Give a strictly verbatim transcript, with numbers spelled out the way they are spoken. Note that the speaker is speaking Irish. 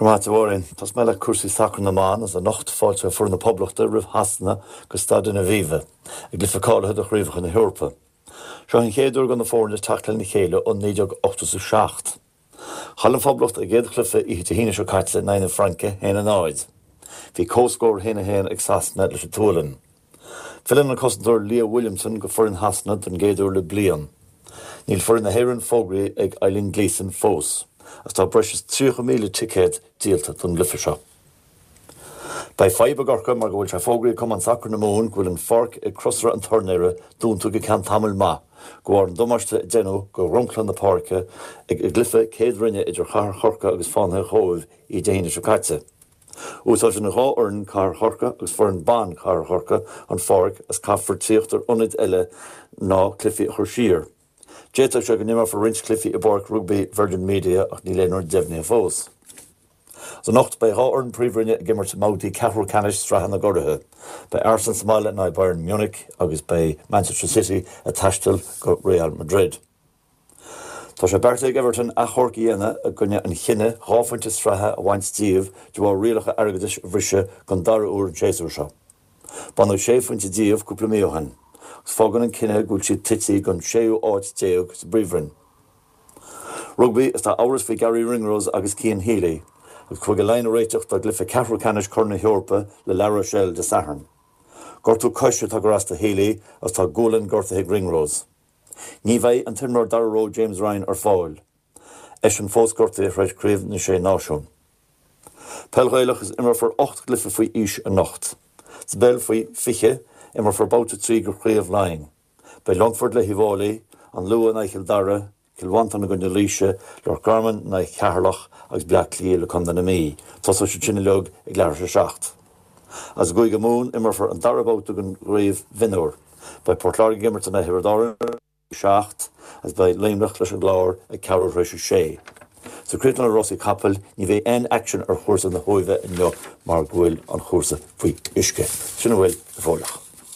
Maith Mháirín, Tosóidh mé le cúrsaí sacar na mban is anocht fáilte foireann na Poblachta roimh Shasana go Staid an Aviva i gcluiche cáilithe do Chraobhacha na hEorpa. Seo an chéad uair do na foirne teacht lena chéile ó naoi déag ochtó a seacht. Chaill an Phoblacht a gcéad chluiche oíche Dé hAoine seo caite in aghaidh na Fraince haon a náid. Bhí comhscór haon a haon ag Sasana leis an tSualainn. Filleann an cosantóir Leah Williamson go foireann Shasana don gcéad uair le bliain. Níl foireann na hÉireann fógraithe ag Eileen Gleeson fós, agus tá breis is tríocha míle ticéad díolta don gcluiche seo. Beidh fadhb i gCorcaigh mar go bhfuil sé fógraithe ag Cumann Sacair na Mumhan go bhfuil an pháirc ag Crosaire an Turnaire dúnta go ceann tamaill maith, de bharr an damáiste a deineadh do dhromchla na páirce ag i gcluiche céad roinne idir Chathair Chorcaí agus Fánaithe an Chóibh oíche Dé hAoine seo caite. Úsáideann dhá fhoireann Cathair Chorcaí agus foireann ban Chathair Chorcaí an pháirc is caithfear tíocht ar ionaid eile ná cluichí a chur siar. D'fhéadfadh sé go n-imreofar roinnt cluichí i bPáirc Rugbaí Virgin Media ach níl aon rud deimhnithe fós. Is anocht beidh dhá fhoireann príomhroinne ag imirt i mbabhtaí ceathrú ceannais Sraithe na gCuraithe. Beidh Arsenal sa mbaile in aghaidh Bayern Munich agus beidh Manchester City ag taisteal go Real Madrid. Tá sé beartaithe ag Everton achomharc a dhéanamh i gcoinne an chinnidh dhá phointe sraithe a bhaint díobh de bharr rialacha airgeadais a bhriseadh don dara huair an séasúr seo. Baineadh sé phointe díobh cúpla mí ó shin, agus fágann an cinneadh go bhfuil siad tite don séú háit déag sa bPríomhroinn. Rugbaí is tá amhras faoi Garry Ringrose agus Cian Healy, agus Cúige Laighean ag réiteach dá gcluiche ceathrú ceannais Chorn na hEorpa le La Rochelle Dé Sathairn. Gortú coise atá ag cur as do Healy agus tá gualainn gortaithe ag Ringrose. Ní bheidh an t-imreoir dara ró James Ryan ar fáil. Eisean fós gortaithe tar éis Craobh na Sé Náisiún. Peil Ghaelach is imreofar ocht gcluiche faoi aois anocht. Sa bpeil faoi fiche imreofar babhta trí de Chraobh Laighean. Beidh Longfort le hUíbh Fhailí, an Lú in aghaidh Chill Dara, Cill Mhantáin i gcoinne Laoise, Loch Garman in aghaidh Cheatharlach agus Bleá Cliath le Contae na Mí. Tosóidh siad sin uilig ag leathuair tar éis a seacht. As i gCúige Mumhan imreofar an dara babhta den gCraobh Mhionúir. Beidh Port Láirge ag imirt in aghaidh Thiobraid Árann seacht agus beidh Luimneach leis an gClár ag ceathrú tar éis a sé. Sa chríochnú le rásaí capaill ní bheidh aon aicsean ar chúrsa na hUaimhe inniu mar go bhfuil an chúrsa faoi uisce. Sin a bhfuil go fóilleach.